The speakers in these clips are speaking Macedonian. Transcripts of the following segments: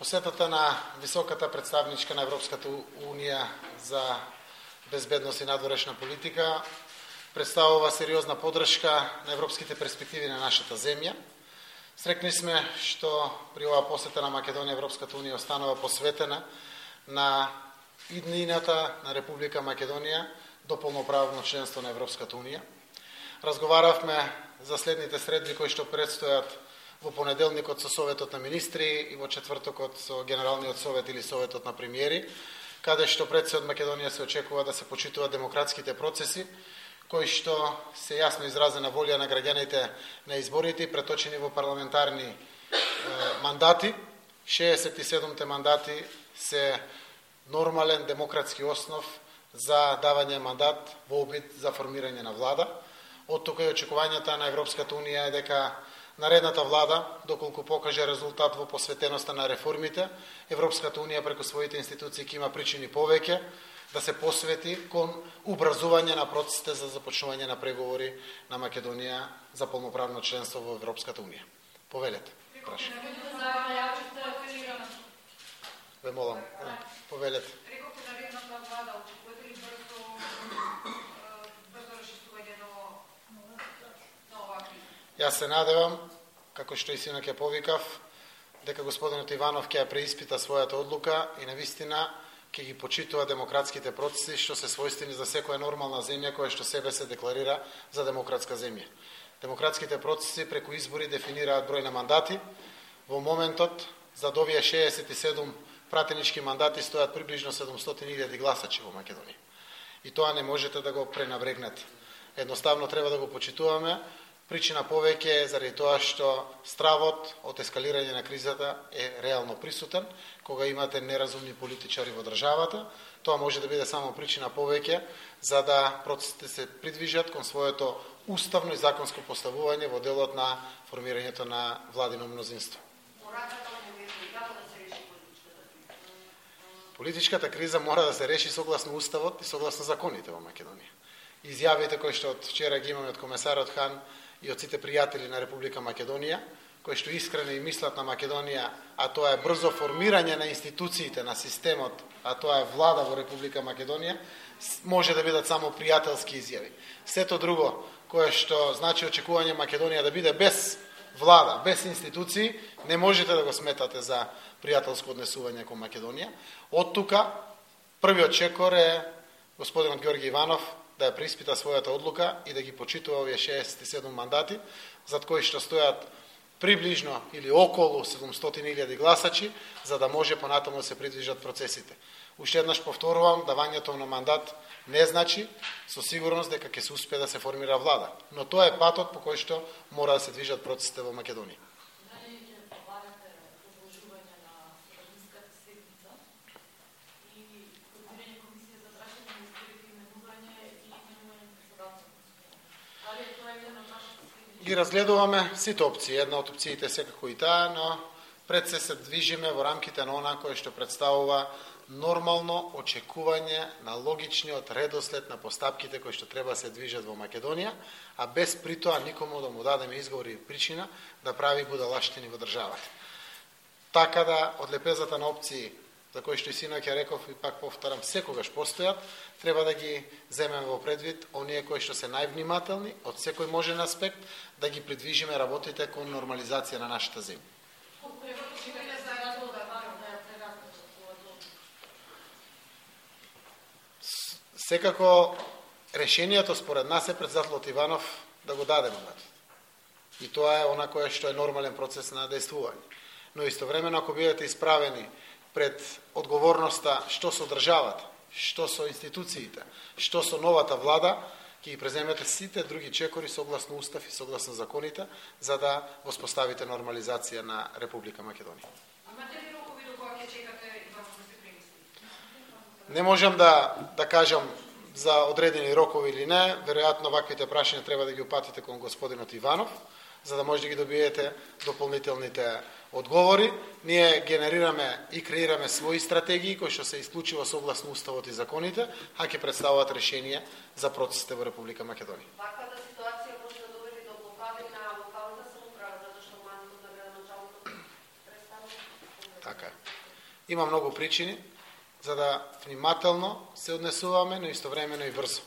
Посетата на високата представничка на Европската Унија за безбедност и надворешна политика представува сериозна поддршка на европските перспективи на нашата земја. Срекни сме што при оваа посета на Македонија Европската Унија останува посветена на иднината на Република Македонија до полноправно членство на Европската Унија. Разговаравме за следните средби кои што предстојат во понеделникот со Советот на министри и во четвртокот со Генералниот совет или Советот на премиери, каде што пред се од Македонија се очекува да се почитуваат демократските процеси, кои што се јасно изразена волја на граѓаните на изборите и преточени во парламентарни мандати. 67 мандати се нормален демократски основ за давање мандат во обид за формирање на влада. Од тука и очекувањата на Европската Унија е дека наредната влада, доколку покаже резултат во посветеноста на реформите, Европската Унија преку своите институции ќе има причини повеќе да се посвети кон образување на процесите за започнување на преговори на Македонија за полноправно членство во Европската Унија. Повелете. Ве молам. Повелете. Јас се надевам, како што и синок ја повикав, дека господинот Иванов ќе ја преиспита својата одлука и навистина ќе ги почитува демократските процеси што се својствени за секоја нормална земја која што себе се декларира за демократска земја. Демократските процеси преку избори дефинираат број на мандати. Во моментот за овие 67 пратенички мандати стојат приближно 700.000 гласачи во Македонија. И тоа не можете да го пренабрегнете. Едноставно треба да го почитуваме. Причина повеќе е заради тоа што стравот од ескалирање на кризата е реално присутен, кога имате неразумни политичари во државата. Тоа може да биде само причина повеќе за да процесите се придвижат кон своето уставно и законско поставување во делот на формирањето на владино мнозинство. Политичката криза мора да се реши согласно уставот и согласно законите во Македонија. Изјавите кои што од вчера ги имаме од комесарот Хан и од сите пријатели на Република Македонија, кои што искрено и мислат на Македонија, а тоа е брзо формирање на институциите, на системот, а тоа е влада во Република Македонија, може да бидат само пријателски изјави. Сето друго, кое што значи очекување Македонија да биде без влада, без институции, не можете да го сметате за пријателско однесување кон Македонија. Од тука, првиот чекор е господинот Ѓорги Иванов да ја преиспита својата одлука и да ги почитува овие 67 мандати, зад кои што стојат приближно или околу 700.000 гласачи, за да може понатаму да се придвижат процесите. Уште еднаш повторувам, давањето на мандат не значи со сигурност дека ќе се успее да се формира влада, но тоа е патот по кој што мора да се движат процесите во Македонија. Ги разгледуваме сите опции. Една од опциите секако и таа, но пред се движиме во рамките на она кое што представува нормално очекување на логичниот редослед на постапките кои што треба да се движат во Македонија, а без притоа никому да му дадеме изговор и причина да прави будалаштини во државата. Така да од лепезата на опции за кои што и синок ја реков и пак повторам, секогаш постојат, треба да ги земеме во предвид оние кои што се највнимателни од секој можен аспект да ги придвижиме работите кон нормализација на нашата земја. Секако решението според нас е председателот Иванов да го даде мандатот. И тоа е она кое што е нормален процес на действување. Но истовремено ако бидете исправени пред одговорноста што со државата, што со институциите, што со новата влада, ќе ги преземете сите други чекори согласно устав и согласно законите, за да воспоставите нормализација на Република Македонија. Имате ли рокови до кога ќе чекате Иванов да се премисли? Не можам да кажам за одредени рокови или не, веројатно ваквите прашања треба да ги упатите кон господинот Иванов, за да може да ги добиете дополнителните одговори. Ние генерираме и креираме своји стратегии кои што се исклучиво согласно уставот и законите, а ќе представуваат решение за процесите во Република Македонија. Ваквата ситуација може да доведе до блокади на локалната самоуправа, затоа што мандатот на градоначалникот представува. Така е. Има многу причини за да внимателно се однесуваме, но истовремено и брзо.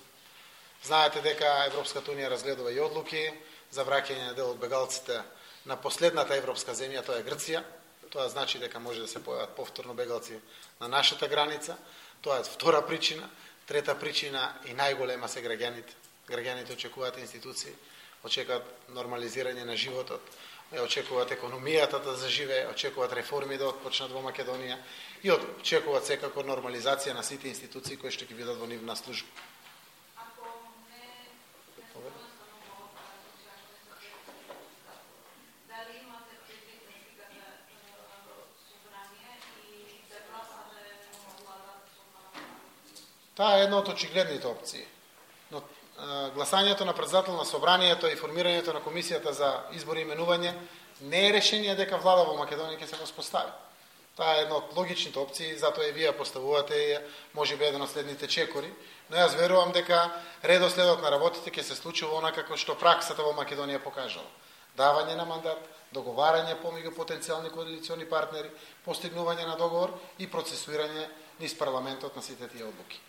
Знаете дека Европската унија разгледува и одлуки за враќање на дел од бегалците на последната европска земја, тоа е Грција. Тоа значи дека може да се појават повторно бегалци на нашата граница. Тоа е втора причина. Трета причина и најголема се граѓаните. Граѓаните очекуваат институции, очекуваат нормализирање на животот, очекуваат економијата да заживее, очекуваат реформи да отпочнат во Македонија и очекуваат секако нормализација на сите институции кои што ќе бидат во нивна служба. Таа е една од очигледните опции. Но гласањето на председател на собранието и формирањето на комисијата за избори и именување не е решение дека влада во Македонија ќе се воспостави. Таа е една од логичните опции, затоа и вие поставувате и можеби еден од следните чекори, но јас верувам дека редоследот на работите ќе се случува онака како што праксата во Македонија покажала. Давање на мандат, договарање помеѓу потенцијални коалициони партнери, постигнување на договор и процесуирање низ парламентот на сите тие одлуки.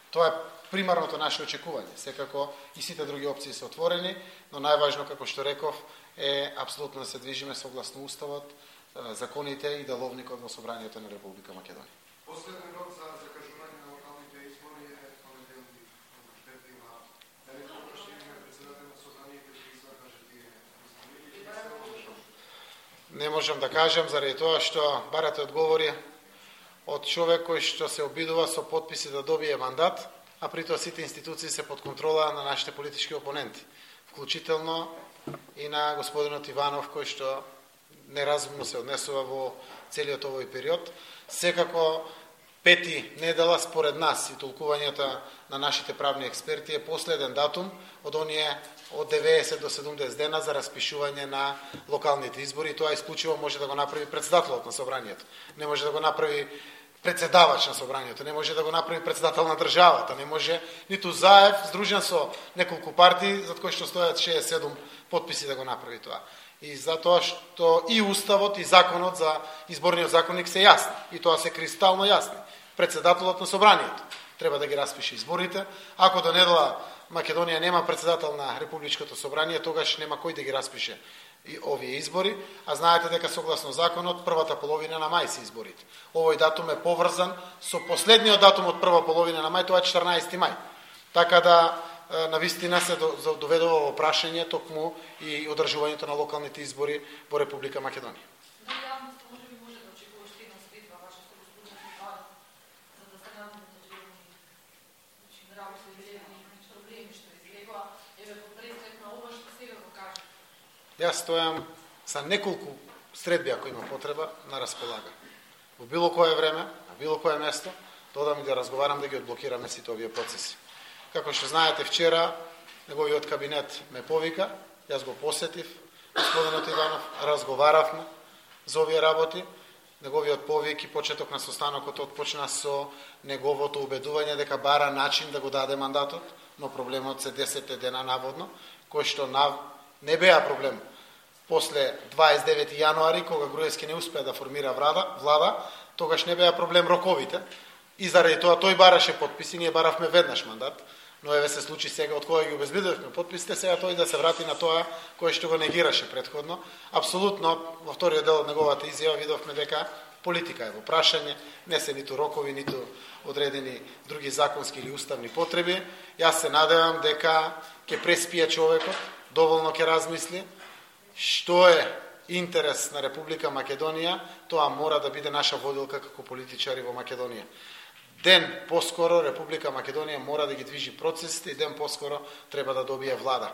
Тоа е примарното наше очекување. Секако и сите други опции се отворени, но најважно, како што реков, е апсолутно да се движиме согласно уставот, законите и деловникот во собранието на Република Македонија. Последен рок за закажување на локалните избори е понеделник. Дали тоа што има председател на собранието ќе извркаже тие избори? Не можам да кажам заради тоа што барате одговори од човек кој што се обидува со потписи да добие мандат, а при тоа сите институции се под контрола на нашите политички опоненти, вклучително и на господинот Иванов, кој што неразумно се однесува во целиот овој период. Секако, пети недела според нас и толкувањата на нашите правни експерти е последен датум од оние од 90 до 70 дена за распишување на локалните избори и тоа исклучиво може да го направи председателот на собранието. Не може да го направи председавач на собранието, не може да го направи председател на државата, не може ниту Заев, здружен со неколку партии, зад кои што стојат 67 потписи да го направи тоа. И затоа што и уставот и законот за изборниот законник се јасни, и тоа се кристално јасни. Председателот на собранието треба да ги распише изборите. Ако до недела Македонија нема председател на Републичкото собрание, тогаш нема кој да ги распише и овие избори, а знаете дека согласно законот првата половина на мај се изборите. Овој датум е поврзан со последниот датум од прва половина на мај, тоа е 14 мај. Така да навистина се доведува во прашање токму и одржувањето на локалните избори во Република Македонија. Јас стојам за неколку средби, ако има потреба, на располага. Во било кое време, на било кое место, додам и да разговарам да ги одблокираме сите овие процеси. Како што знаете, вчера неговиот кабинет ме повика, јас го посетив, господинот Иванов, разговаравме за овие работи. Неговиот повик и почеток на состанокот отпочна со неговото убедување дека бара начин да го даде мандатот, но проблемот се 10 дена наводно, кој што не беа проблем. После 29 јануари, кога Груевски не успеа да формира влада, тогаш не беа проблем роковите и заради тоа тој бараше потписи, ние баравме веднаш мандат, но еве се случи сега од кога ги обезбедувавме потписите, сега тој да се врати на тоа кое што го негираше претходно. Апсолутно, во вториот дел од неговата изјава видовме дека политика е во прашање, не се ниту рокови, ниту одредени други законски или уставни потреби. Јас се надевам дека ќе преспие човекот, доволно ќе размисли што е интерес на Република Македонија, тоа мора да биде наша водилка како политичари во Македонија. Ден поскоро Република Македонија мора да ги движи процесите и ден поскоро треба да добие влада.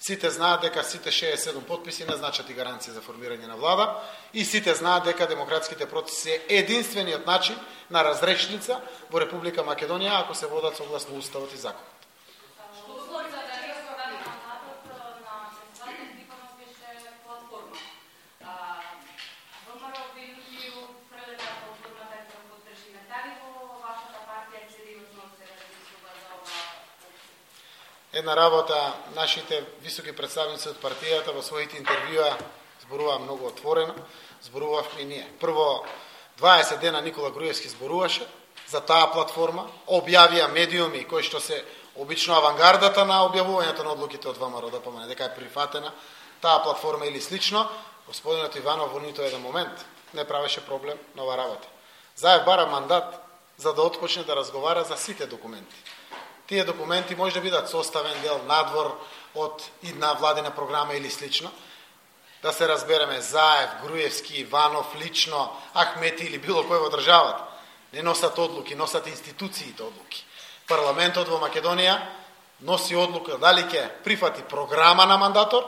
Сите знаат дека сите 67 потписи не значат и гаранција за формирање на влада и сите знаат дека демократските процеси е единствениот начин на разрешница во Република Македонија ако се водат согласно уставот и законот. Една работа, нашите високи представници од партијата во своите интервјуа зборуваа многу отворено, зборувавме и ние. Прво, 20 дена Никола Груевски зборуваше за таа платформа, објавија медиуми кои што се обично авангардата на објавувањето на одлуките од ВМРО ДПМН, дека е прифатена таа платформа или слично. Господинот Иванов во нито еден момент не правеше проблем на ова работа. Заев бара мандат за да отпочне да разговара за сите документи. Тие документи може да бидат составен дел надвор од идна владина програма или слично. Да се разбереме, Заев, Груевски, Иванов, лично, Ахмети или било кој во државата не носат одлуки, носат институциите одлуки. Парламентот во Македонија носи одлука дали ќе прифати програма на мандатор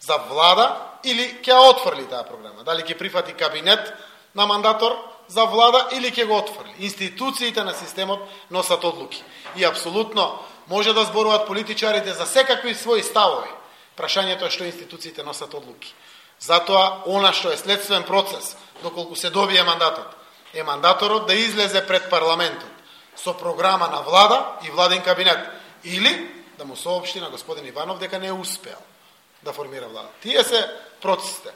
за влада или ќе отфрли таа програма. Дали ќе прифати кабинет на мандатор за влада или ќе го отфрли. Институциите на системот носат одлуки. И апсолутно може да зборуваат политичарите за секакви своји ставови. Прашањето е што институциите носат одлуки. Затоа, она што е следствен процес, доколку се добие мандатот, е мандаторот да излезе пред парламентот со програма на влада и владен кабинет, или да му соопшти на господин Иванов дека не успеал да формира влада. Тие се процесите.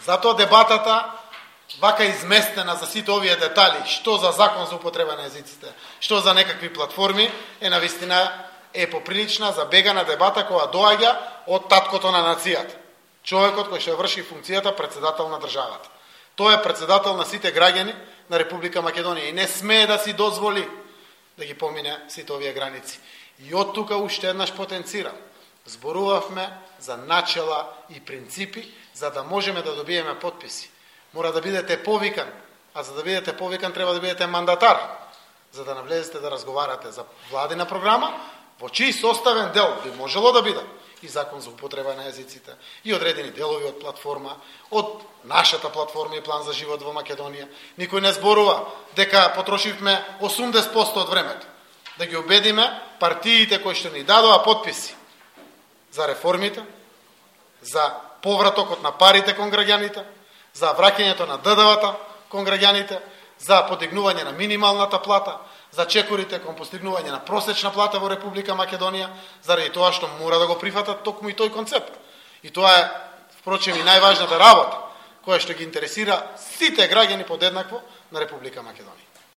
Затоа дебатата, вака изместена за сите овие детали, што за закон за употреба на езиците, што за некакви платформи, е навистина е поприлична за бегана дебата која доаѓа од таткото на нацијата. Човекот кој ќе врши функцијата председател на државата. Тој е председател на сите граѓани на Република Македонија и не смее да си дозволи да ги помине сите овие граници. И од тука уште еднаш потенцирам. Зборувавме за начела и принципи, за да можеме да добиеме потписи. Мора да бидете повикан, а за да бидете повикан треба да бидете мандатар, за да навлезете да разговарате за владина програма, во чиј составен дел би можело да биде и закон за употреба на езиците, и одредени делови од платформа, од нашата платформа и план за живот во Македонија. Никој не зборува дека потрошивме 80% од времето да ги убедиме партиите кои што ни дадоа потписи за реформите, за повратокот на парите кон граѓаните, за враќањето на ДДВ-та кон граѓаните, за подигнување на минималната плата, за чекорите кон постигнување на просечна плата во Република Македонија, заради тоа што мора да го прифатат токму и тој концепт. И тоа е, впрочем, и најважната работа, која што ги интересира сите граѓани подеднакво на Република Македонија.